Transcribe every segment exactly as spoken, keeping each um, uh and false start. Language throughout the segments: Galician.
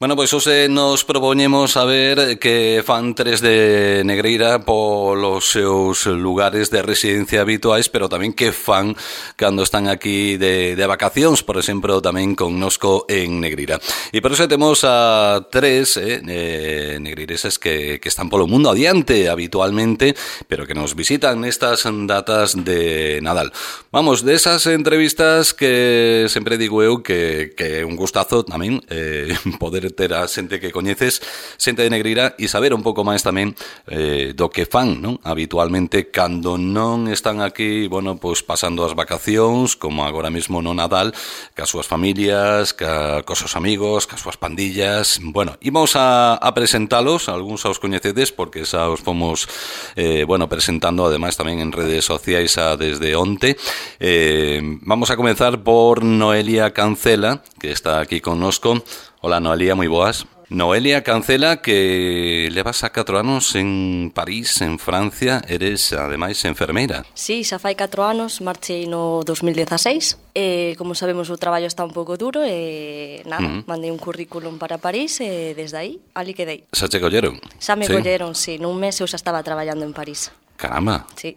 Bueno, pois hoxe nos propoñemos a ver que fan tres de Negreira polos seus lugares de residencia habituais, pero tamén que fan cando están aquí de, de vacacións, por exemplo, tamén connosco en Negreira. E por iso temos a tres eh, eh, negreireses que, que están polo mundo adiante habitualmente, pero que nos visitan nestas datas de Nadal. Vamos, desas entrevistas que sempre digo eu que, que é un gustazo tamén eh, poder ter a xente que coñeces, xente de Negreira, e saber un pouco máis tamén eh, do que fan, non? Habitualmente cando non están aquí, bueno, pois pasando as vacacións, como agora mesmo no Nadal, cas súas familias, ca, cos seus amigos, cas súas pandillas. Bueno, imos a, a presentalos, algúns aos coñecedes porque xa os fomos eh, bueno, presentando ademais tamén en redes sociais a desde onte. Eh, vamos a comenzar por Noelia Cancela, que está aquí connosco. Hola Noelia, moi boas. Noelia Cancela, que levas a catro anos en París, en Francia, eres ademais enfermeira. Sí, xa fai catro anos, marchei no dos mil dieciséis, e como sabemos o traballo está un pouco duro e nada, uh-huh. mandei un currículum para París e desde aí, ali quedei. Xa che colleron? Xa me sí. colleron, sí, nun mes eu xa estaba traballando en París. Caramba. Sí.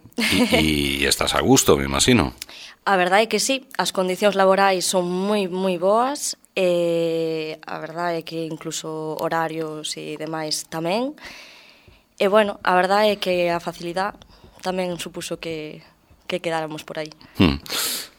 E, e estás a gusto, me imagino. A verdade é que sí, as condicións laborais son moi, moi boas, e a verdade é que incluso horarios e demais tamén. E bueno, a verdade é que a facilidade tamén supuso que, que quedáramos por aí. Hmm.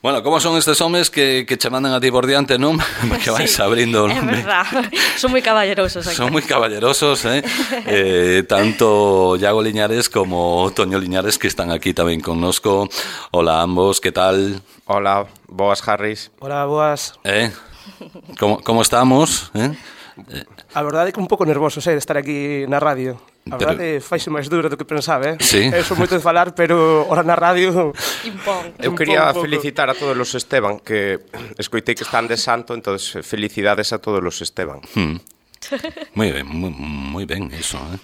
Bueno, como son estes homes que, que che mandan a ti por diante, non? Que vais sí, abrindo o nome. É verdad, son moi caballerosos aquí. Son moi caballerosos, eh? eh tanto Iago Liñares como Toño Liñares, que están aquí tamén connosco. Hola a ambos, que tal? Hola, boas, Harris. Hola, boas. Eh? Como, como estamos? Eh? A verdade é que un pouco nervoso, sei, de estar aquí na radio. A Pero... verdade faise máis duro do que pensaba, eh? Sí. Eu son moito de falar, pero ora na radio... Impón. Eu quería felicitar a todos os Esteban, que escoitei que están de santo, entonces felicidades a todos os Esteban. Hmm. Moi ben, moi, moi ben iso, eh?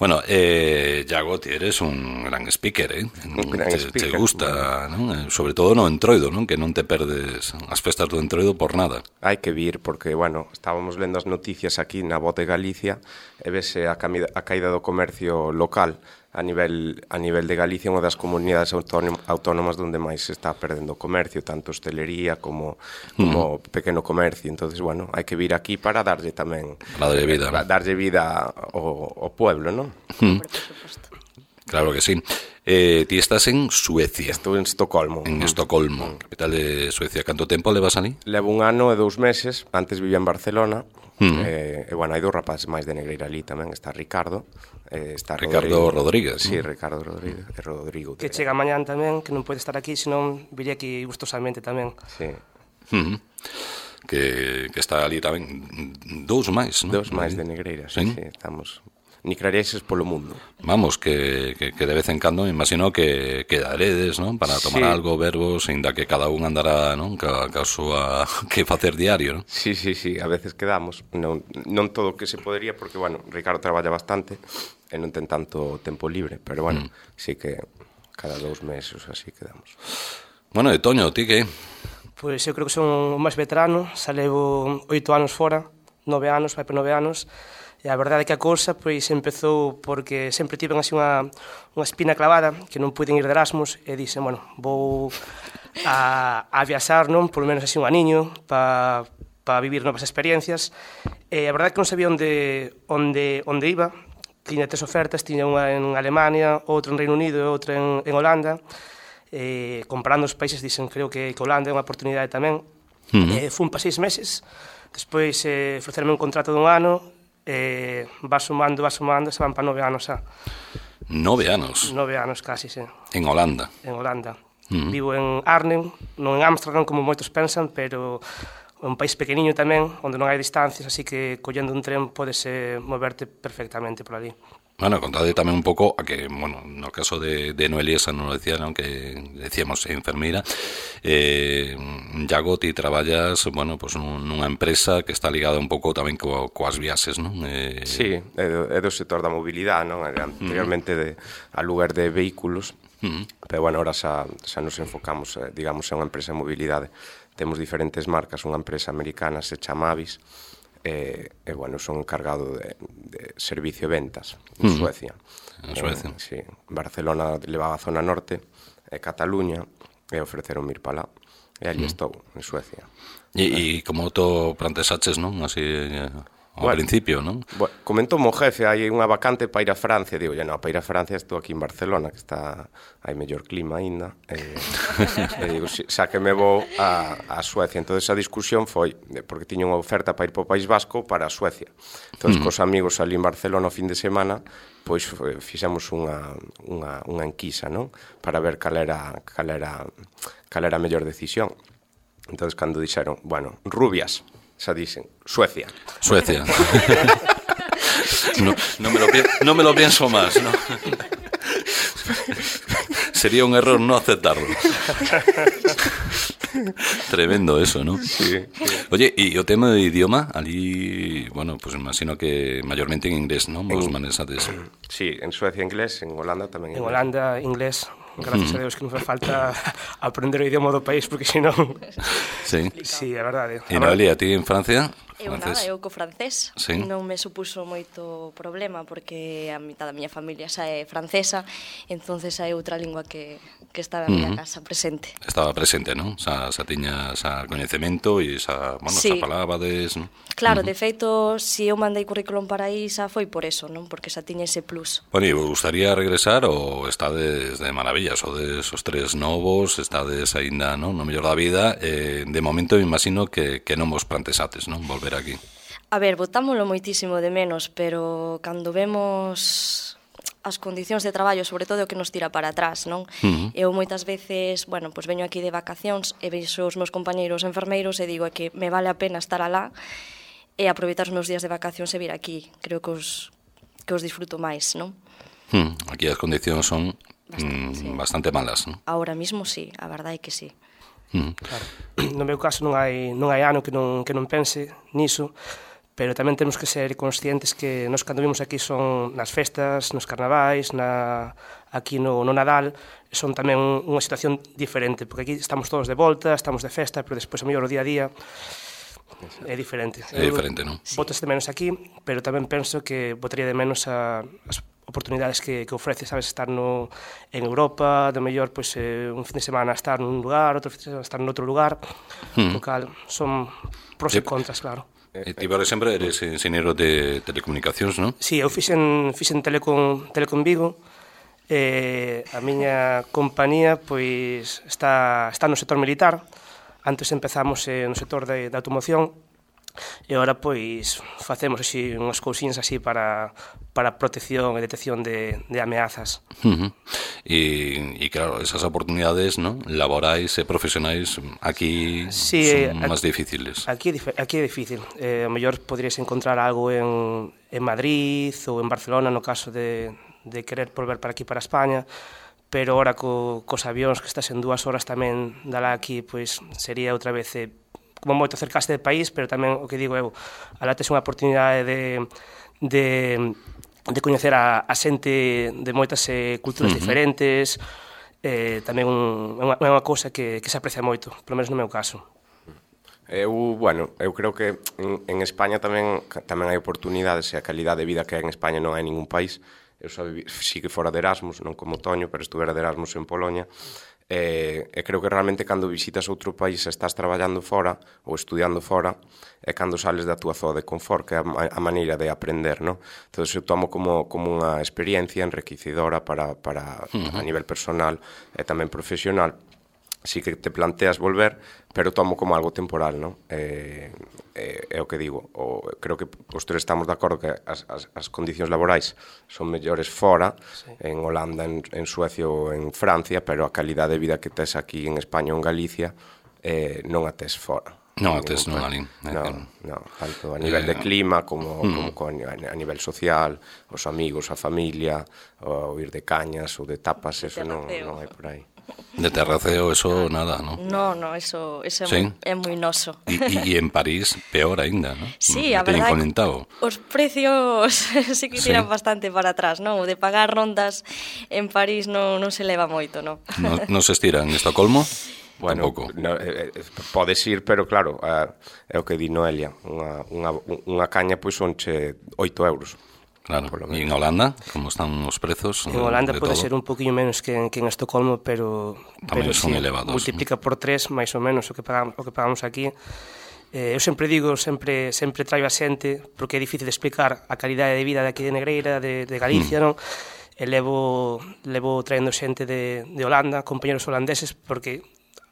Bueno, eh, Iago, ti eres un gran speaker, eh? Un gran te, speaker. te gusta, non? Sobre todo no Entroido, non? Que non te perdes as festas do Entroido por nada. Hai que vir, porque, bueno, estábamos lendo as noticias aquí na Voz de Galicia e vese a, camida, a caída do comercio local a nivel, a nivel de Galicia, unha das comunidades autónomas onde máis se está perdendo o comercio, tanto hostelería como, como mm. pequeno comercio. Entonces, bueno, hai que vir aquí para darlle tamén... Para darlle vida, para darlle vida ao, ao pueblo, non? Mm. Claro que sí. Eh, ti estás en Suecia. Estou en Estocolmo. En Estocolmo, capital de Suecia. Canto tempo levas ali? Levo un ano e dous meses. Antes vivía en Barcelona. Mm. Eh, e, bueno, hai dous rapaces máis de Negreira ali tamén. Está Ricardo. Eh, está Ricardo Rodrigo. Rodríguez. Sí, ¿no? Ricardo Rodríguez. E Rodrigo. Que chega mañán tamén, que non pode estar aquí, senón viría aquí gustosamente tamén. Sí. Mm. Que, que está ali tamén dous máis, non? Dous máis de Negreira, sí, sí, sí. Estamos... Nicrareses polo mundo. Vamos, que, que, que de vez en cando me imagino que quedaredes, non? Para tomar sí. algo, verbos, ainda que cada un andará, non? Ca, ca súa que facer diario, non? Sí, sí, sí, a veces quedamos. Non, non todo o que se podería, porque, bueno, Ricardo traballa bastante e non ten tanto tempo libre, pero, bueno, mm. sí que cada dous meses así quedamos. Bueno, e Toño, ti que? Pois eu creo que son o máis veterano, xa levo oito anos fora, nove anos, vai por nove anos. E a verdade é que a cousa pois empezou porque sempre tiven así unha, unha espina clavada que non puiden ir de Erasmus e dixen, bueno, vou a, a viaxar, non? Por lo menos así un aniño para pa vivir novas experiencias. E a verdade é que non sabía onde, onde, onde iba. Tiña tres ofertas, tiña unha en Alemania, outra en Reino Unido e outra en, en Holanda. E comparando os países dixen, creo que, que Holanda é unha oportunidade tamén. Uh-huh. E fun para seis meses. Despois eh, ofrecerme un contrato dun ano. Eh, va sumando, va sumando, se van para nove anos xa. Nove anos? Nove anos casi, sí. En Holanda? En Holanda. Uh-huh. Vivo en Arnhem, non en Ámsterdam como moitos pensan, pero é un país pequeniño tamén, onde non hai distancias, así que collendo un tren podes eh, moverte perfectamente por ali. Bueno, contade tamén un pouco a que, bueno, no caso de, de Noelia, xa non lo decía, non? Que decíamos enfermeira, eh, Iago, ti traballas, bueno, pues nunha empresa que está ligada un pouco tamén co, coas viaxes, non? Eh... Sí, é do, é do sector da mobilidade, non? Anteriormente de, a lugar de vehículos, uh-huh. pero, bueno, ahora xa, xa nos enfocamos, eh, digamos, en unha empresa de mobilidade. Temos diferentes marcas, unha empresa americana se chama Avis, e, e bueno, son encargado de, de servicio e ventas en mm. Suecia. En Suecia. Eh, sí, Barcelona levaba a zona norte, e Cataluña, e ofreceron ir para lá. E ali mm. estou, en Suecia. E, e como to plantesaches, non? Así, ao bueno, principio, non? Bueno, comentou mo jefe, hai unha vacante para ir a Francia. Digo, ya non, para ir a Francia estou aquí en Barcelona, que está, hai mellor clima aínda. E, e digo, xa que me vou a, a Suecia. Entón, esa discusión foi, porque tiña unha oferta para ir para o País Vasco para a Suecia. Entón, mm. cos amigos ali en Barcelona o fin de semana, pois fixemos unha, unha, unha enquisa, non? Para ver cal era, cal era, cal era a mellor decisión. Entón, cando dixeron, bueno, rubias, xa dicen, Suecia. Suecia. no, no, me lo, no me lo pienso más, ¿no? Sería un error no aceptarlo. Tremendo eso, ¿no? Sí, sí. Oye, y o tema de idioma, ali, bueno, pues imagino que mayormente en inglés, ¿no? Vos manejates. Sí, en Suecia inglés, en Holanda tamén. En Holanda inglés. Gracias mm. a Deus que non faz falta aprender o idioma do país, porque senón... Sí. Sí, é verdade. E Noelia, a ti en Francia? Eu nada, eu co francés. Sí. Non me supuso moito problema, porque a mitad da miña familia xa é francesa, entonces hai outra lingua que, que está na miña mm. casa presente. Estaba presente, non? Xa, xa tiña xa coñecemento e xa, bueno, sí. xa falabades, non? Claro, uh-huh. de feito, se eu mandei currículum para aí, xa foi por eso, non? Porque xa tiña ese plus. Bueno, e vos gustaría regresar ou estades de maravilla, sodes os tres novos, estades aínda, non? No mellor da vida, eh, de momento me imagino que, que non vos plantesates, non? Volver aquí. A ver, botámoslo moitísimo de menos, pero cando vemos as condicións de traballo, sobre todo o que nos tira para atrás, non? Uh-huh. Eu moitas veces, bueno, pois veño aquí de vacacións e veixo os meus compañeiros enfermeiros e digo que me vale a pena estar alá e aproveitar os meus días de vacacións e vir aquí. Creo que os, que os disfruto máis, non? Uh-huh. Aquí as condicións son bastante, mm, sí. bastante malas, non? Ahora mismo sí, a verdade é que sí. Uh-huh. Claro. No meu caso non hai, non hai ano que non, que non pense niso, pero tamén temos que ser conscientes que nos cando vimos aquí son nas festas, nos carnavais, na, aquí no, no Nadal, son tamén unha situación diferente, porque aquí estamos todos de volta, estamos de festa, pero despois a mellor o día a día é diferente. É diferente, non? Botas de menos aquí, pero tamén penso que botaría de menos a, as oportunidades que, que ofrece, sabes, estar no, en Europa, de mellor, pois, eh, un fin de semana estar nun lugar, outro fin de semana estar en outro lugar, mm. local, son pros e contras, claro. E ti, por exemplo, eres enxeñeiro de telecomunicacións, non? Sí, eu fixen, fixen Telecom, Telecom Vigo, e a miña compañía, pois, está, está no sector militar. Antes empezamos eh, no sector de, de automoción, e agora, pois, facemos así unhas cousiñas así para, para protección e detección de, de ameazas. Uh-huh. E, e claro, esas oportunidades, ¿no?, laborais e profesionais aquí sí, son máis difíciles. Aquí, aquí é difícil. Eh, a mellor podrías encontrar algo en, en Madrid ou en Barcelona, no caso de, de querer volver para aquí, para España, pero ahora co, cos avións que estás en dúas horas tamén dalá aquí, pois sería outra vez eh, como moito acercaste do país, pero tamén o que digo eu, alá tes unha oportunidade de, de, de coñecer a, a xente de moitas eh, culturas uh-huh. diferentes, eh, tamén un, é, unha, é unha cousa que, que se aprecia moito, polo menos no meu caso. Eu, bueno, eu creo que en, en España tamén tamén hai oportunidades e a calidade de vida que hai en España non hai en ningún país. Eu só vivi, sí que fora de Erasmus, non como Toño, pero estuvera de Erasmus en Polonia. E, e creo que realmente cando visitas outro país e estás traballando fora ou estudiando fora é cando sales da túa zona de confort, que é a, a maneira de aprender, non? Entón, eu tomo como, como unha experiencia enriquecedora para, para uh-huh. a nivel personal e tamén profesional. Sí que te planteas volver, pero tomo como algo temporal, non? É, é, é o que digo. O, creo que os tres estamos de acordo que as, as, as condicións laborais son mellores fora, sí. en Holanda, en, en Suecia ou en Francia, pero a calidade de vida que tes aquí en España ou en Galicia eh, non a tes fora. Non a tes non ali. Non, non, tanto a nivel de clima como, mm. como a nivel social, os amigos, a familia, o ir de cañas ou de tapas, eso non, non hai por aí. De terraceo, eso nada, ¿no? No, no, eso, eso ¿Sí? é, moi, é moi noso. Y, y, y en París, peor ainda, ¿no? Sí, no a verdade, comentado. Os precios sí que tiran sí. bastante para atrás, non? O de pagar rondas en París non, non se leva moito, non? No, no se estira en Estocolmo? Bueno, tampouco. no, eh, podes ir, pero claro, eh, é o que di Noelia, unha, unha, unha caña pois sonche oito euros. Claro, e en Holanda, como están os prezos? En Holanda pode todo? ser un poquinho menos que, que en Estocolmo, pero, Tamén pero son sí, elevados, multiplica por tres máis ou menos o que pagamos, o que pagamos aquí. Eh, eu sempre digo, sempre sempre traio a xente, porque é difícil de explicar a calidade de vida de aquí de Negreira, de, de Galicia, mm. non? E levo, levo traendo xente de, de Holanda, compañeros holandeses, porque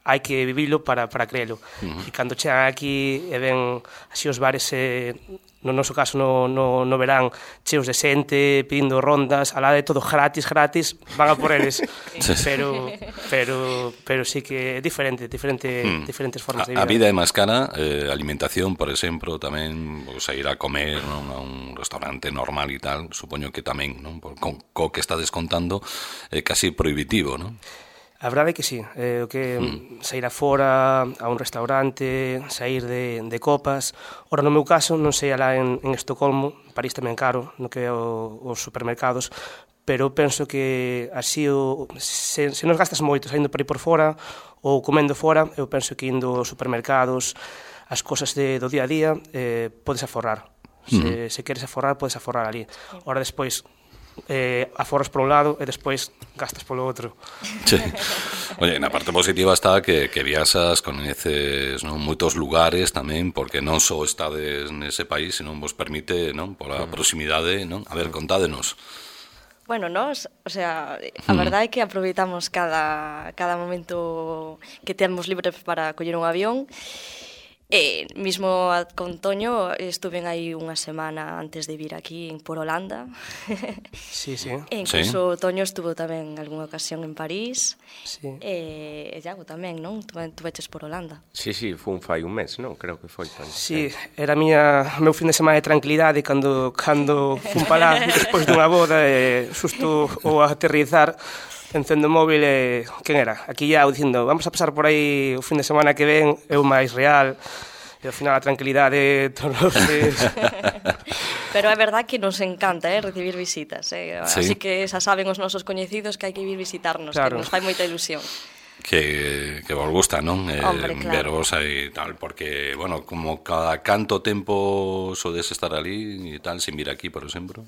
hai que vivilo para, para creelo. Uh-huh. E cando chegan aquí e ven así os bares, eh, no noso caso no, no, no verán, cheos de xente, pedindo rondas, alá de todo gratis, gratis, van a por eles. Sí. Pero, pero, pero sí que é diferente, diferente mm. diferentes formas de vida. A, a vida é máis cara, eh, alimentación, por exemplo, tamén, pues, a ir a comer, non, a un restaurante normal e tal, supoño que tamén, non? Por, con, co que está descontando, é eh, casi prohibitivo, non? A verdade é que sí, eh, o que mm. sair afora a un restaurante, sair de, de copas. Ora, no meu caso, non sei alá en, en Estocolmo, París tamén caro, no que é o, os supermercados, pero penso que así, o, se, se nos gastas moito saindo para ir por fora ou comendo fora, eu penso que indo aos supermercados, as cosas de, do día a día, eh, podes aforrar. Se, mm. se queres aforrar, podes aforrar ali. Ora, despois, eh, aforras por un lado e despois gastas polo outro. Sí. Oye, na parte positiva está que, que viaxas, coñeces, non, moitos lugares tamén, porque non só estades nese país, senón vos permite, non, pola proximidade, non? A ver, contádenos. Bueno, nos, o sea, a verdade é que aproveitamos cada, cada momento que temos libre para coller un avión. E mismo con Toño estuve aí unha semana antes de vir aquí por Holanda. Sí, sí. E incluso sí. Toño estuvo tamén en algunha ocasión en París. Sí. E Iago tamén, non? Tu, tu veches por Holanda. Sí, sí, fun fai un mes, non? Creo que foi. Toño. Sí, era miña meu fin de semana de tranquilidade cando cando fun para lá despois dunha boda e xusto o aterrizar encendo o móvil e quen era? Aquí ya dicindo, vamos a pasar por aí o fin de semana que ven, eu máis real, e ao final a tranquilidade todos os días. Pero é verdad que nos encanta, eh, recibir visitas, eh? Sí. Así que xa saben os nosos coñecidos que hai que vir visitarnos, claro. que nos fai moita ilusión. Que, que vos gusta, non? Eh, Hombre, claro. Veros aí tal, porque, bueno, como cada canto tempo sodes estar ali e tal, sin vir aquí, por exemplo.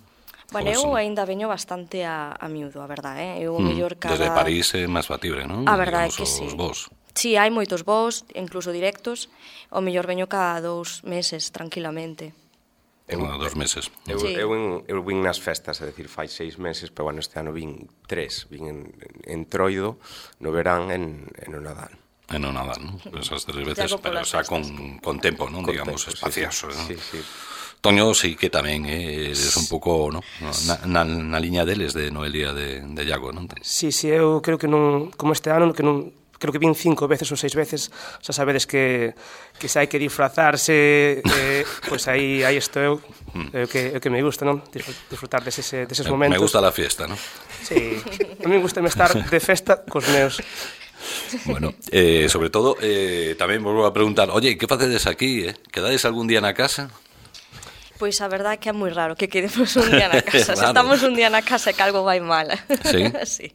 Bueno, eu aínda veño bastante a, a miúdo, a verdade, eh? Eu mm, mellor cada... Desde París é máis factible, non? A verdade é que os sí. Vos. Sí, hai moitos voos, incluso directos, o mellor veño cada dous meses, tranquilamente. Eu, ah, dos meses. Eu, sí. eu, eu, eu vin nas festas, é dicir, fai seis meses, pero bueno, este ano vin tres, vin en, en Troido, no verán, en, en o Nadal. En o Nadal, non? Esas tres veces, pero xa con, con tempo, non? Con Digamos, tempo, espacioso, sí, non? sí, sí. Toño sí que tamén eh, eres un pouco, no, na, na, na liña deles de Noelia de, de Iago, non? Sí, sí, eu creo que non, como este ano, que non, creo que vin cinco veces ou seis veces, xa sabedes que, que se hai que disfrazarse, eh, pois pues aí, aí estou eu, é o que, é o que me gusta, non? Disfrutar deses, deses momentos. Me gusta la fiesta, non? Sí, a mí me gusta estar de festa cos meus. Bueno, eh, sobre todo, eh, tamén volvo a preguntar, oye, que facedes aquí, eh? Quedades algún día na casa? Pois a verdade é que é moi raro que quedemos un día na casa. Claro. Se estamos un día na casa é que algo vai mal. Sí? Sí.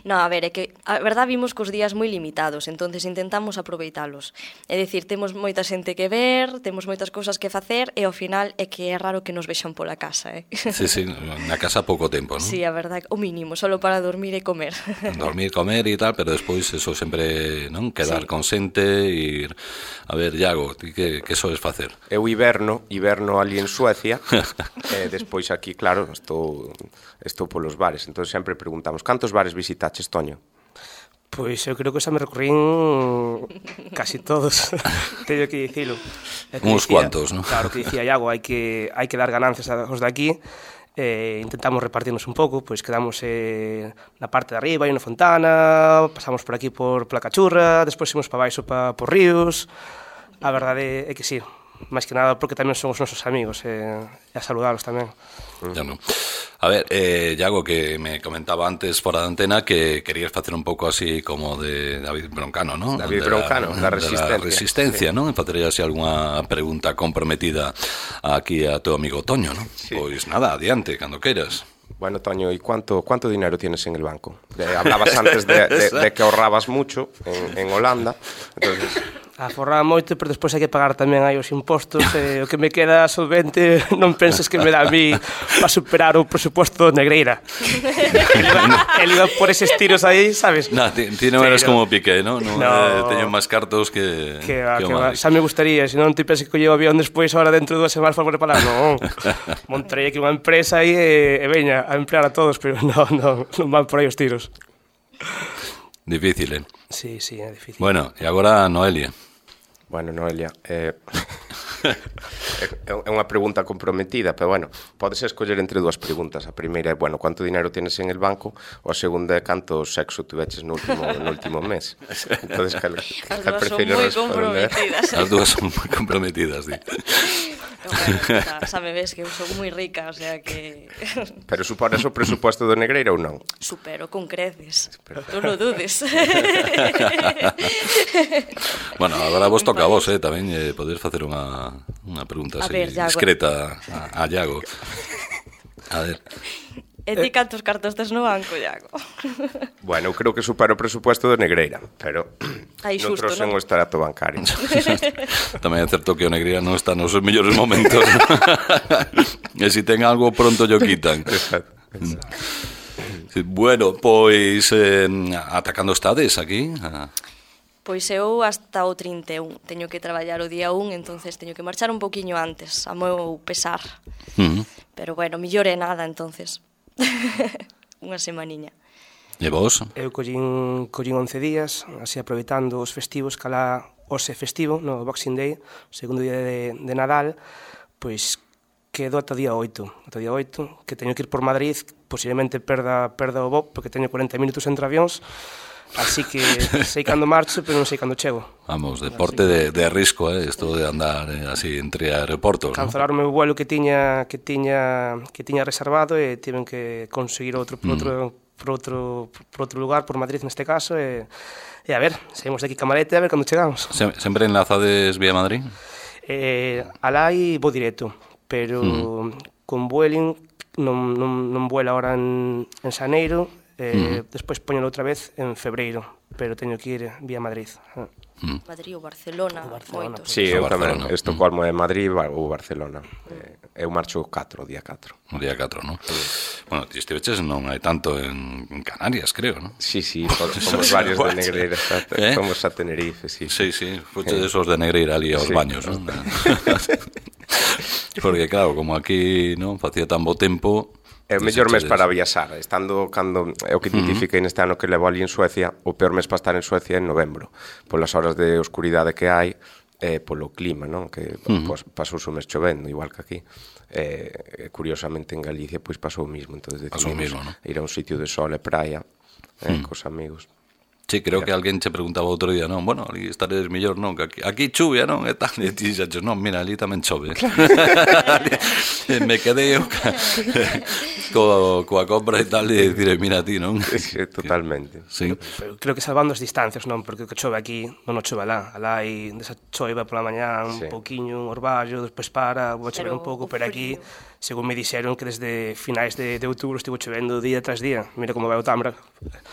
No, a ver, é que a verdade vimos cos días moi limitados, entonces intentamos aproveitalos. É dicir, temos moita xente que ver, temos moitas cousas que facer e ao final é que é raro que nos vexan pola casa, eh? Sí, sí, na casa pouco tempo, non? Sí, a verdade, o mínimo, solo para dormir e comer. Dormir, comer e tal, pero despois eso sempre, non? Quedar Sí. con xente, ir... A ver, Iago, ti que, que soes facer? Eu hiberno, hiberno ali en Suecia, e despois aquí, claro, estou, estou polos bares, entón sempre preguntamos, cantos bares visitaches, Toño? Pois eu creo que xa me recorrín casi todos, teño que dicilo. Que Uns dicía, cuantos, non? Claro, que dicía Iago, hai que, hai que dar ganancias aos de aquí, eh, intentamos repartirnos un pouco, pois quedamos eh, na parte de arriba, hai unha fontana, pasamos por aquí por Pola Cachurra, despois imos para baixo pa, por ríos. A verdade é que sí, máis que nada porque tamén son os nosos amigos e, e a saludalos tamén. Ya no. A ver, eh, Iago, que me comentaba antes fora da antena que querías facer un pouco así como de David Broncano, ¿no? David de Broncano, la, da Resistencia. Da Resistencia, sí. ¿No? E facería así algunha pregunta comprometida aquí a teu amigo Toño, ¿no? Sí. Pois nada, adiante, cando queiras. Bueno, Toño, ¿y cuánto, cuánto dinero tienes en el banco? Eh, hablabas antes de, de, de que ahorrabas mucho en, en Holanda, entonces... Aforraba moito, pero despois hai que pagar tamén aí os impostos, e o que me queda solvente non penses que me dá a mí para superar o presuposto de Negreira. El iba por eses tiros aí, sabes? No, ti, ti non eres como Piqué, ¿no? No, no eh, teño máis cartos que... Que va, que que va. Xa me gustaría, se non ti pensas que colleo avión despois, ahora dentro de dúas semanas para preparar, non. Montarei aquí unha empresa aí e, e veña a emplear a todos, pero non, non, non van por aí os tiros. Difícil, eh? Sí, sí, é difícil. Bueno, e agora Noelia. Bueno, Noelia, eh, é unha pregunta comprometida, pero bueno, podes escoller entre dúas preguntas. A primeira é, bueno, ¿cuánto dinero tienes en el banco? O a segunda é, ¿canto sexo tuveches no último, no último mes? Entonces, cal, cal prefiro responder? As dúas son moi comprometidas, sí. Bueno, xa me ves que eu son moi rica, o sea que... Pero supones o presuposto do Negreira ou non? Supero con creces, non o dudes. Bueno, agora vos toca a vos, eh, tamén eh, poder facer unha, unha pregunta así, ver, discreta a, a Iago. A ver. E ti cantos cartos tes no banco, Iago? Bueno, eu creo que supero o presupuesto do Negreira, pero Aí non xusto, trouxen non? o extracto bancario. Tamén é certo que o Negreira non está nos seus mellores momentos. E se ten algo pronto yo quitan. Exacto. Sí, bueno, pois eh, atacando estades aquí. A... Pois eu hasta o trinta e un. Teño que traballar o día un, entonces teño que marchar un poquinho antes, a meu pesar. Uh -huh. Pero bueno, millor é nada, entonces. Unha semaniña. E vos? Eu collín, collín once días, así aproveitando os festivos, calá ose festivo, no Boxing Day, o segundo día de, de Nadal, pois quedo ata o día oito, ata o día oito, que teño que ir por Madrid, posiblemente perda, perda o voo, porque teño cuarenta minutos entre avións, así que sei cando marcho, pero non sei cando chego. Vamos, deporte de, de risco, eh, esto de andar eh, así entre aeroportos, Cancelar o meu vuelo que tiña que tiña que tiña reservado e tiven que conseguir outro por outro mm. por outro por outro lugar, por Madrid neste caso e e a ver, saímos de aquí ca maleta a ver cando chegamos. Sem, sempre enlazades vía Madrid? Eh, alá e vou directo, pero mm. con Vueling non, non, non vuela ahora en, en xaneiro. Eh, mm. Despois poñelo outra vez en febreiro, pero teño que ir vía Madrid. Mm. Madrid ou Barcelona, o Barcelona moito. Sí, eu tamén, Barcelona. Estocolmo é Madrid ou Barcelona. Mm. Eu marcho o catro, o día catro. O día catro, non? Sí. Bueno, ti estiveches non hai tanto en, en Canarias, creo, non? Sí, sí, somos varios de Negreira, ¿Eh? Somos a Tenerife, sí. Sí, sí, fuche de esos de Negreira ali aos sí. baños, non? Porque claro, como aquí non facía tan bo tempo... É o mellor mes para viaxar, estando cando é o que identifiquei neste ano que levo ali en Suecia, o peor mes para estar en Suecia é en novembro, polas horas de oscuridade que hai, eh, polo clima, non? Que uh-huh. pues, pasou o mes chovendo, igual que aquí. Eh, curiosamente en Galicia pois pasou o mismo, entonces decidimos ¿no? ir a un sitio de sol e praia, eh, uh-huh. cos amigos. Sí, creo que alguén che preguntaba outro día, non, bueno, ali estaredes mellor, non, que aquí, aquí chuvia, non, e tal, e ti xaches, non, mira, ali tamén chove. Me quedei eu co, coa compra e tal, e dicir, mira ti, non? Sí, totalmente. Sí. Pero creo que salvando as distancias, non, porque o que chove aquí non o chove alá, alá hai desa choiva pola mañá un sí. pouquiño, un orballo, despois para, vou chover un pouco, pero aquí, según me dixeron que desde finais de, de outubro estivo chovendo día tras día, mira como vai o Támara.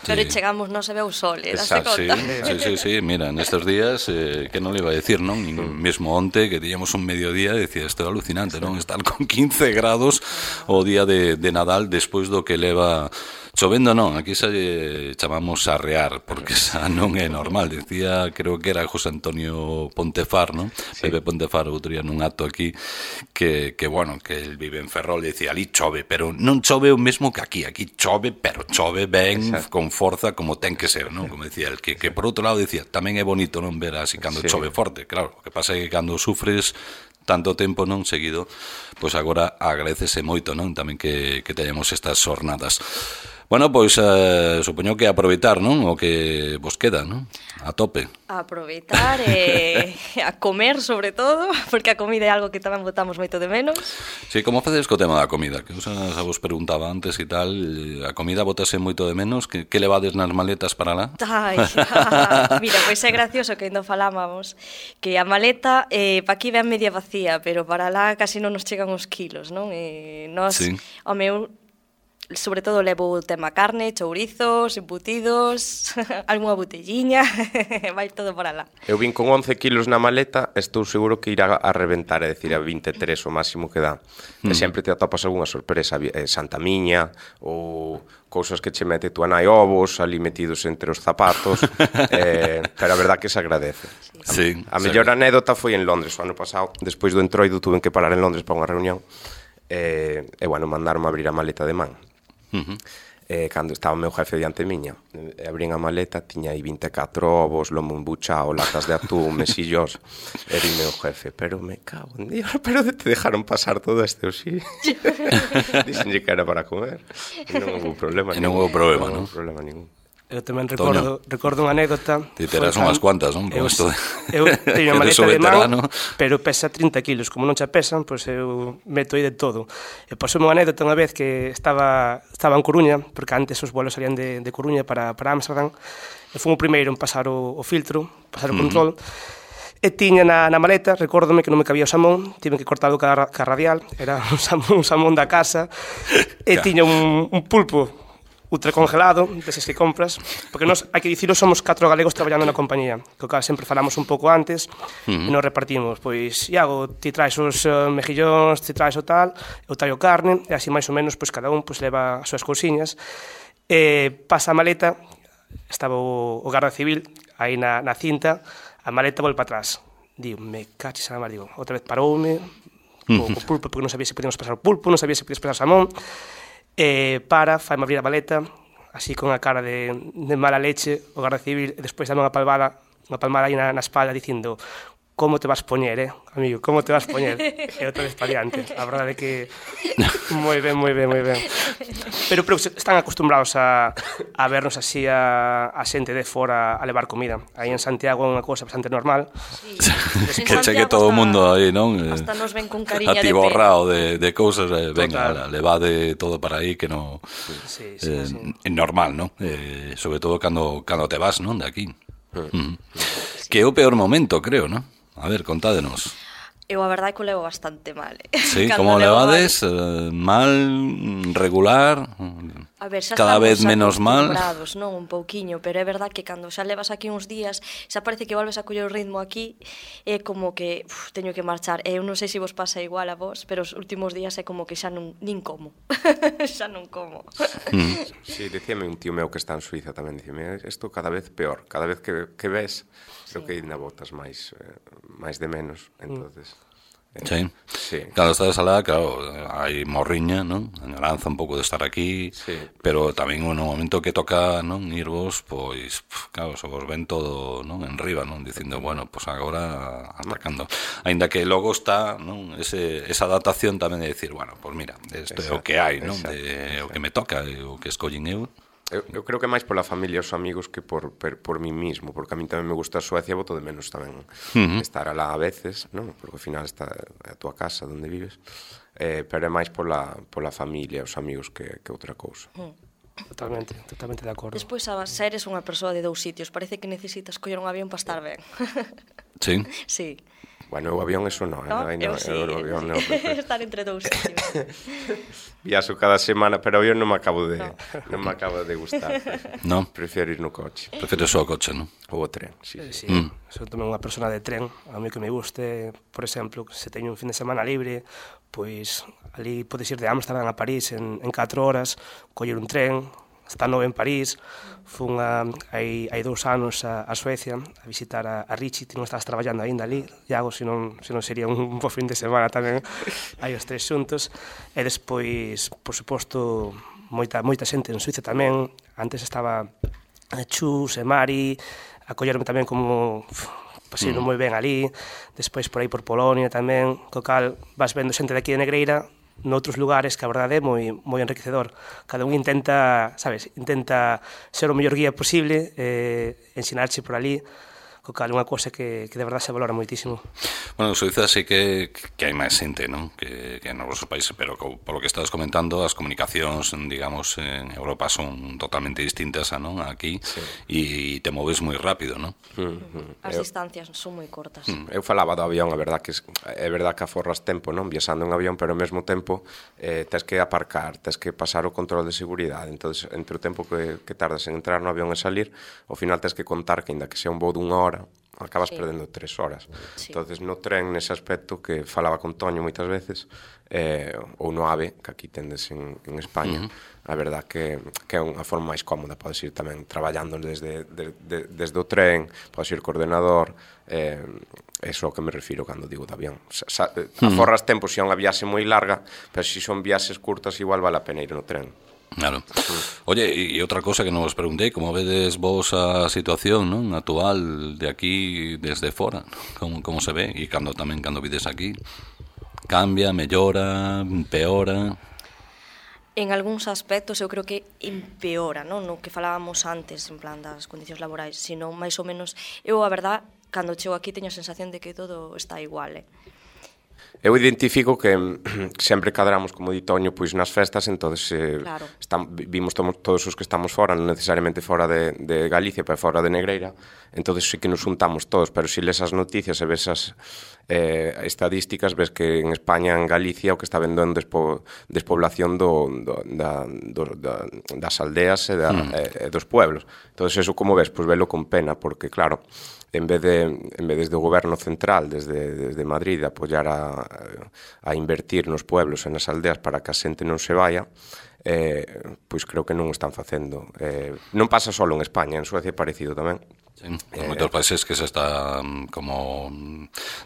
Pero sí. chegamos, non se ve o sol, eh, daste conta? Sí, sí, sí, sí, mira, nestes días, eh, que non le iba a decir, non? Mm. Mesmo onte, que teníamos un mediodía, decía, isto é alucinante, non? Estar con quince grados o día de, de Nadal, despois do que leva... Chovendo non, aquí xa chamamos arrear, porque xa non é normal. Decía, creo que era José Antonio Pontefar, non? Sí. Pepe Pontefar, outro día nun acto aquí, que, que bueno, que el vive en Ferrol, e dicía, ali chove, pero non chove o mesmo que aquí. Aquí chove, pero chove ben, exacto, con forza, como ten que ser, non? Como decía el, que, que por outro lado decía, tamén é bonito non ver así cando sí. chove forte, claro. O que pasa é que cando sufres tanto tempo non seguido, pois agora agradecese moito, non? Tamén que, que teñamos estas jornadas. Bueno, pois eh, supoño que aproveitar, non? O que vos queda, non? A tope. A aproveitar e eh, a comer, sobre todo, porque a comida é algo que tamén botamos moito de menos. Sí, como facedes co tema da comida? Que os a vos preguntaba antes e tal, a comida botase moito de menos, que, que levades nas maletas para lá? Ai, ah, mira, pois é gracioso que ainda falábamos que a maleta, eh, pa aquí ven media vacía, pero para lá casi non nos chegan os kilos, non? E nós, sí. o meu... sobre todo levo o tema carne, chourizos, embutidos, algunha botelliña, vai todo por alá. Eu vin con once kilos na maleta, estou seguro que irá a reventar, é dicir, a vinte e tres o máximo que dá. Mm. E sempre te atopas algunha sorpresa, eh, Santa Miña, ou cousas que che mete tu anai ovos, ali metidos entre os zapatos, eh, pero a verdad que se agradece. Sí, a a mellor anécdota foi en Londres, o ano pasado, despois do entroido tuve que parar en Londres para unha reunión, e, e bueno, mandaron abrir a maleta de man. Uh-huh. E cando estaba o meu jefe diante miña, e abrín a maleta, tiña aí vinte e catro ovos, lomo embuchao, latas de atún, mesillos, e di meu jefe, pero me cago en Dios, pero te dejaron pasar todo este o sí. Dixenlle que era para comer, e non houve problema ningún. E non houve problema, non? Non houve problema ningún. Eu tamén recordo, recordo unha anécdota. Ti terás unhas cuantas, non? Eu, de... eu teño a maleta de man, pero pesa trinta kilos. Como non xa pesan, pois eu meto aí de todo. E pasou unha anécdota unha vez que estaba, estaba en Coruña, porque antes os vuelos salían de, de Coruña para, para Amsterdam, e fui o primeiro en pasar o, o filtro, pasar o control, uh-huh. E tiña na, na maleta, recórdome que non me cabía o salmón, tive que cortalo ca, ca radial, era un salmón, un salmón da casa, e tiña un, un pulpo ultracongelado, deses que compras, porque nós, hai que dicilo, somos catro galegos traballando na compañía, que o cal sempre falamos un pouco antes, uh-huh. E nos repartimos, pois, Iago, ti traes os uh, mejillóns, ti traes o tal, eu traio carne, e así máis ou menos, pois, cada un pois, leva as súas cousiñas, e pasa a maleta, estaba o, o garda civil, aí na, na cinta, a maleta volve para atrás, digo, me caches a mar, digo, outra vez paroume, uh-huh. o, o pulpo, porque non sabía se podíamos pasar o pulpo, non sabía se podíamos pasar o salmón, e para, faime abrir a maleta, así con a cara de, de mala leche, o garda civil, e despois dame unha palmada, unha palmada aí na, na espalda dicindo, como te vas poñer, eh, amigo, como te vas poñer? E outra vez para diante, a verdade é que moi ben, moi ben, moi ben. Pero, pero están acostumbrados a, a vernos así a, a xente de fora a levar comida. Aí en Santiago é unha cousa bastante normal. Sí. Que cheque todo o mundo aí, non? Hasta nos ven con cariña de atiborrao de, de cousas, eh, venga, levade todo para aí que no sí, sí, eh, sí. É normal, non? Eh, sobre todo cando, cando te vas, non? De aquí. Mm. Que é o peor momento, creo, non? A ver, contádenos. Eu a verdade que o levo bastante mal. Eh? Sí, como levades? Eh, mal, regular? A ver, xa cada vez menos mal? Non, un pouquiño, pero é verdade que cando xa levas aquí uns días, xa parece que volves a coller o ritmo aquí, é como que uf, teño que marchar. Eu non sei se vos pasa igual a vos, pero os últimos días é como que xa non, nin como. Xa non como. Mm. Sí, dicíame un tío meu que está en Suiza tamén, dicíame, isto cada vez peor, cada vez que, que ves, creo sí. Que ainda botas máis, eh, máis de menos, entonces... Mm. Sí. Sí. Cando estás alá, claro, hai morriña, non? Añoranza un pouco de estar aquí, sí. Pero tamén no momento que toca, non, irvos, pois, claro, se vos ven todo, non, en riba, non, dicindo, bueno, pois agora atacando. Aínda que logo está, non, ese esa adaptación tamén de decir, bueno, pois mira, isto é o que hai, non, de o que me toca, o que escollín eu. Eu, eu creo que máis pola familia e os amigos que por, por, por mí mismo, porque a mí tamén me gusta a Suecia, boto de menos tamén uh-huh. Estar alá a veces, non? Porque ao final está a tua casa onde vives, eh, pero é máis pola, pola familia e os amigos que, que outra cousa. Uh-huh. Totalmente, totalmente de acordo. Despois, a ser eres unha persoa de dous sitios, parece que necesitas coller un avión para estar ben. Sí? Sí. Bueno, o avión eso non, no, eh? Eu no, sí, o avión non, estar entre dous sitios. Viaxo cada semana, pero o avión non me acabo de no. non me acabo de gustar. No. Prefiero ir no coche. Prefiro só o coche, non? Ou o tren, sí. Sí, sí. Mm. Sou tamén unha persona de tren, a mí que me guste, por exemplo, se teño un fin de semana libre, pois ali podes ir de Amsterdam a París en, en catro horas, coller un tren, está nove en París, fun a, hai, hai dous anos a, a Suecia a visitar a, a Richie, ti non estás traballando aínda ali, Iago, se non, se non sería un, un bo fin de semana tamén, hai os tres xuntos, e despois, por suposto, moita, moita xente en Suiza tamén, antes estaba a Chus e Mari, a collerme tamén como... pasino moi ben ali, despois por aí por Polonia tamén, co cal vas vendo xente de aquí de Negreira, noutros lugares que a verdade é moi, moi enriquecedor. Cada un intenta, sabes, intenta ser o mellor guía posible, eh, ensinarche por ali, co co cal é unha cousa que, que de verdade se valora moitísimo. Bueno, en Suiza sí que, que hai máis xente, non? Que, que en nosos países, pero co, polo que estás comentando, as comunicacións, digamos, en Europa son totalmente distintas a non aquí, sí. E te moves moi rápido, non? Mm-hmm. As eu, distancias son moi cortas. Mm, eu falaba do avión, a verdad que é verdad que aforras tempo, non? Viaxando en avión, pero ao mesmo tempo eh, tens que aparcar, tens que pasar o control de seguridade, entonces entre o tempo que, que tardas en entrar no avión e salir, ao final tens que contar que, ainda que sea un voo dunha hora, acabas sí. perdendo tres horas. Sí. Entonces no tren, nese aspecto, que falaba con Toño moitas veces, eh, ou no AVE, que aquí tendes en, en España, uh-huh. a verdad que, que é unha forma máis cómoda, podes ir tamén traballando desde, de, de, desde o tren, podes ir co ordenador, eh, eso ao que me refiro cando digo de avión. Sa, sa, aforras uh-huh. tempo se é unha viaxe moi larga, pero se son viaxes curtas igual vale a pena ir no tren. Claro. Oye, e outra cosa que non vos preguntei, como vedes vos a situación, non, actual de aquí desde fora? Como, como se ve? E cando tamén cando vides aquí? Cambia, mellora, empeora? En algúns aspectos eu creo que empeora, non? No que falábamos antes, en plan das condicións laborais, sino máis ou menos, eu a verdad, cando chego aquí teño a sensación de que todo está igual, eh? Eu identifico que sempre cadramos, como di Toño, pois nas festas, entonces eh, claro. estamos, vimos todos, todos os que estamos fora, non necesariamente fora de, de Galicia, pero fora de Negreira, entonces sí que nos juntamos todos, pero se si les as noticias e ves as eh, estadísticas, ves que en España, en Galicia, o que está vendo en despo, despoblación do, do, da, do, da, das aldeas e, da, mm. e, e dos pueblos. Entonces eso, como ves, pois velo con pena, porque claro, en vez de en vez desde o goberno central, desde, desde Madrid, apoiar a, a invertir nos pueblos e nas aldeas para que a xente non se vaya, eh, pois creo que non o están facendo. Eh, non pasa só en España, en Suecia é parecido tamén. Sí, en eh, moitos países que se está como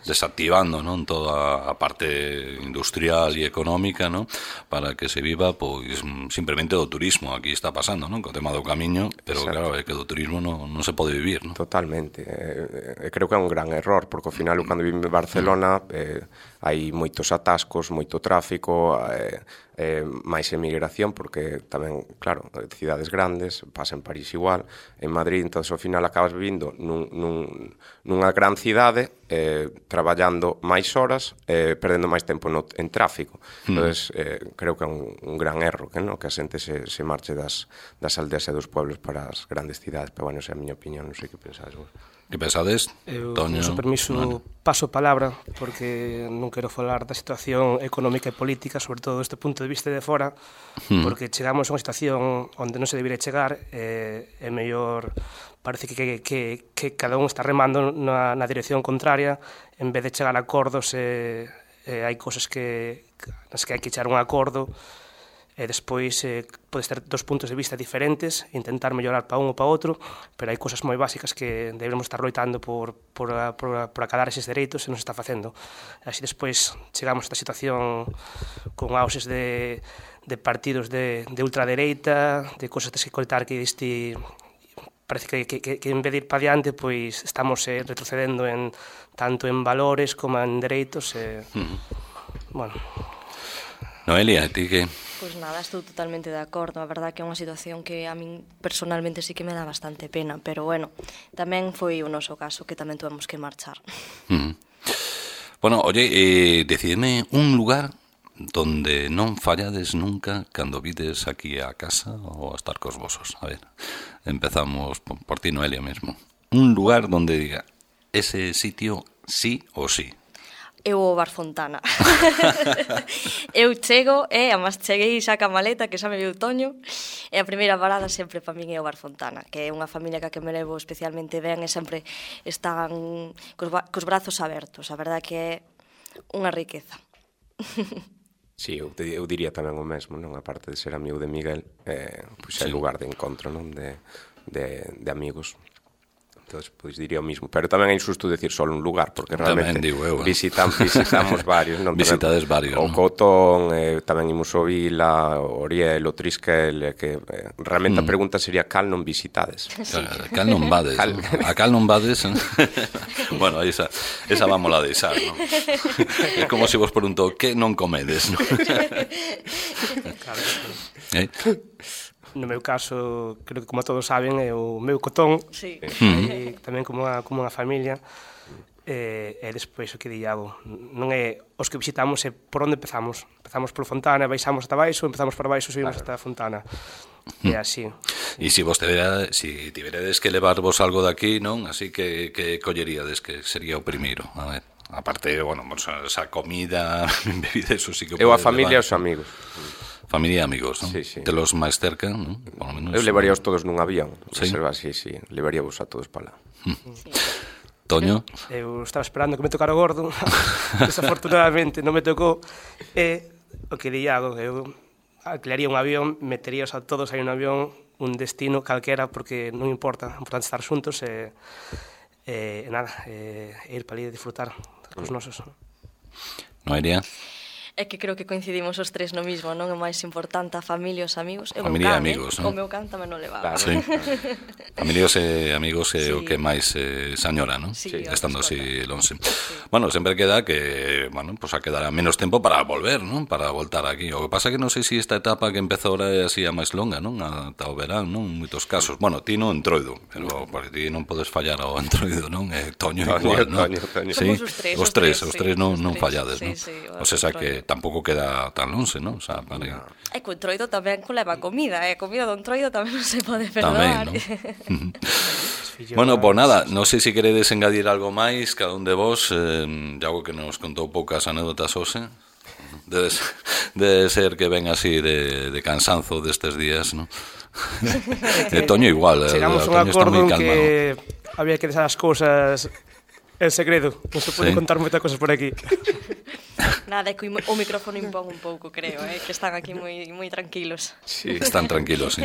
desactivando, non, toda a parte industrial e económica, non, para que se viva pois simplemente do turismo. Aquí está pasando, non, co tema do camiño, pero exacto. Claro, é que do turismo non, non se pode vivir, non? Totalmente. Eh, eh, creo que é un gran error, porque ao final, cando vive en Barcelona, eh, hai moitos atascos, moito tráfico, eh, eh, máis emigración, porque tamén, claro, cidades grandes, pasa en París igual, en Madrid, entón ao final acabas vivindo nun, nun, nunha gran cidade, eh, traballando máis horas, eh, perdendo máis tempo no, en tráfico. Mm. Entón, eh, creo que é un, un gran erro, que, no? Que a xente se, se marche das, das aldeas e dos pueblos para as grandes cidades, pero bueno, esa é a miña opinión, non sei que pensades vos. Que pensades, eu, Toño? Eu, permiso, bueno. paso palabra, porque non quero falar da situación económica e política, sobre todo deste punto de vista de fora, mm. porque chegamos a unha situación onde non se debería chegar, eh, é mellor, parece que, que, que, que cada un está remando na, na dirección contraria, en vez de chegar a acordos, eh, eh, hai cosas que, nas que hai que echar un acordo, e despois eh, podes ter dos puntos de vista diferentes, intentar mellorar para un ou para outro, pero hai cosas moi básicas que debemos estar loitando por, por, por, por acalar eses dereitos e non se está facendo. Así despois chegamos a esta situación con auses de, de partidos de, de ultradereita, de cosas de que coitar que este parece que, que, que en vez de ir para diante, pois estamos eh, retrocedendo en tanto en valores como en dereitos. Eh, uh-huh. Bueno. Noelia, ti que... Pois nada, estou totalmente de acordo. A verdade que é unha situación que a min personalmente sí que me dá bastante pena, pero bueno, tamén foi o noso caso que tamén tuvemos que marchar. Mm. Bueno, oye, eh, decidime un lugar donde non fallades nunca cando vides aquí a casa ou a estar cos vosos. A ver, empezamos por, por ti, Noelia, mesmo. Un lugar donde diga, ese sitio sí ou sí. Eu o Bar Fontana. Eu chego, e, amas cheguei xa ca maleta, que xa me viu Toño, e a primeira parada sempre para min é o Bar Fontana, que é unha familia que que me levo especialmente ben e sempre están cos, cos brazos abertos. A verdade que é unha riqueza. Sí, eu, te, eu diría tamén o mesmo, non? A parte de ser amigo de Miguel, eh, pois é sí. lugar de encontro, non? De, de, de amigos. Entonces, pois diría o mismo, pero tamén é injusto decir só un lugar, porque realmente digo eu, eh. visitam, visitamos varios, non? Visitades varios, o non? Cotón, eh, tamén imos o Vila, o Oriel, o Trisquel, eh, que eh, realmente mm. a pregunta sería cal non visitades. Sí. Cal non vades, cal... ¿no? A cal non vades. Bueno, esa, esa vamos a deixar, non? É como se vos preguntou que non comedes, non? Claro. Eh? no meu caso, creo que como todos saben, é o meu cotón, Sí. e tamén como unha, como unha familia, e, e despois o que di Iago, non é os que visitamos, é por onde empezamos. Empezamos por Fontana, baixamos ata baixo, empezamos por baixo, subimos ata Fontana. E así. E se vos tivera, si tiveredes que levarvos algo daqui, non? Así que, que colleríades, que sería o primeiro. A ver, aparte, bueno, esa comida, bebida, eso sí que Eu a podes familia e levar. os amigos. Familia e amigos, non? Sí, sí. De los máis cerca, non? Por lo menos. Eu levaríaos todos nun avión. Sí? Reserva, sí, sí. Levaríavos a todos para lá. Toño? Eu estaba esperando que me tocara o gordo, desafortunadamente non me tocou, e o que di Iago, eu alquilaría un avión, meteríos a todos aí un avión, un destino calquera, porque non importa, é importante estar xuntos e, e, e nada, e, e ir para ali e disfrutar cos nosos. Noelia? É que creo que coincidimos os tres no mismo, non? É máis importante a familia e os amigos. E o Familia e meu can, amigos, eh? non? O meu can tamén non levaba. Claro. Sí. Familias e amigos é Sí. o que máis eh, se añora, non? Sí, Estando os así longe. Bueno, sempre queda que, bueno, pues a quedar menos tempo para volver, non? Para voltar aquí. O que pasa que non sei se esta etapa que empeza ahora é así a máis longa, non? Ata o verán, non? En moitos casos. Bueno, ti non entroido, pero porque ti non podes fallar ao entroido, non? E Toño Toño, igual, non? Toño, Toño. Sí, Somos os tres, os os tres, tres, os sí, tres non, os non tres. fallades, Sí, non? sí, o O sea, que entroido. tampouco queda tan longe, non? O sea, para... E co entroido tamén leva comida, e a comida do entroido tamén non se pode Tamén, perdoar. non? Bueno, pois nada, non sei se queredes engadir algo máis, cada un de vos, eh, algo que nos contou poucas anécdotas hoxe. Debe, debe ser que ven así de, de cansanzo destes días, non? E Toño igual, Chegamos a un Toño está acordo moi en calmado. que había que deixar as cousas en segredo, non se pode Sí. contar moitas cosas por aquí. Nada, é que o micrófono impón un pouco, creo, eh? Que están aquí moi, moi tranquilos. Sí. Están tranquilos, sí.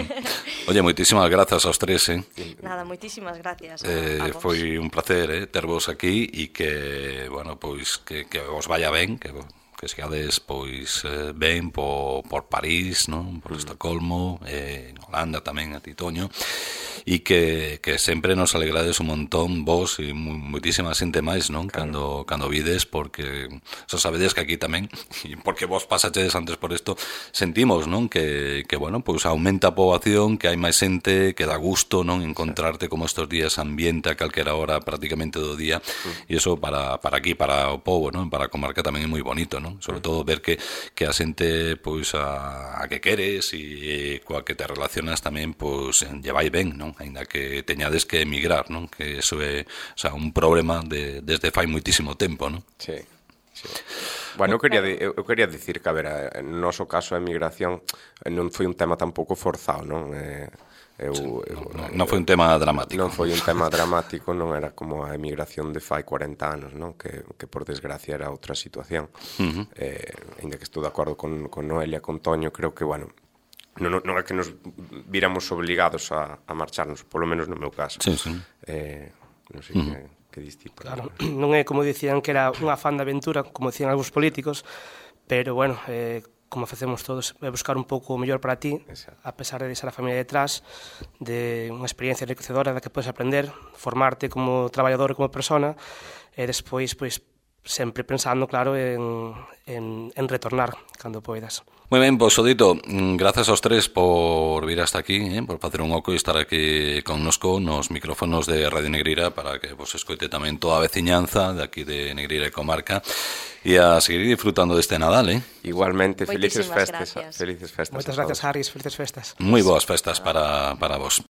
Oye, moitísimas grazas aos tres, eh? Nada, moitísimas gracias a, Eh, a vos. foi un placer eh, tervos aquí e que, bueno, pois que, que os vaya ben, que que sigades pois eh, ben por, por París, non? Por Estocolmo, eh, en Holanda tamén, a ti Toño, e que, que sempre nos alegrades un montón vos e mu- muitísima xente máis, non? Cando, cando vides, porque xa sabedes que aquí tamén, e porque vos pasachedes antes por isto, sentimos, non? Que, que bueno, pois aumenta a poboación, que hai máis xente, que dá gusto, non? Encontrarte como estos días ambiente a calquera hora prácticamente do día, e iso para, para aquí, para o pobo, non? Para a comarca tamén é moi bonito, non? Sobre todo ver que, que a xente pois a, a que queres e coa que te relacionas tamén pois lle vai ben, non? Aínda que teñades que emigrar, non? Que eso é, o sea, un problema de, desde fai moitísimo tempo, non? Sí, sí. Bueno, eu quería, eu, eu quería dicir que, a ver, no noso caso a emigración non foi un tema tampouco forzado, non? Eh, eu, eu, Non, non foi un tema dramático. Non foi un tema dramático, non era como a emigración de fai cuarenta anos, non? Que, que por desgracia era outra situación. Uh -huh. eh, ainda que estou de acordo con, con Noelia, con Toño, creo que, bueno, non, non é que nos viramos obligados a, a marcharnos, polo menos no meu caso. Sí, sí. Eh, non sei uh -huh. que, que diste. Claro, non é como dicían que era un afán de aventura, como dicían algúns políticos, pero, bueno, eh, como facemos todos, é buscar un pouco o mellor para ti, Exacto. a pesar de deixar a familia detrás, de unha experiencia enriquecedora da que podes aprender, formarte como traballador e como persona, e despois, pois, sempre pensando, claro, en, en, en retornar cando poidas. Moi ben, pois, Odito, grazas aos tres por vir hasta aquí, eh, por facer un oco e estar aquí connosco nos micrófonos de Radio Negreira para que vos escoite tamén toda a veciñanza de aquí de Negreira e Comarca e a seguir disfrutando deste Nadal, eh? Igualmente, felices Moitísimas festas. gracias. Felices festas. Moitas a gracias, todos. Harris, felices festas. Moi boas festas para, para vos.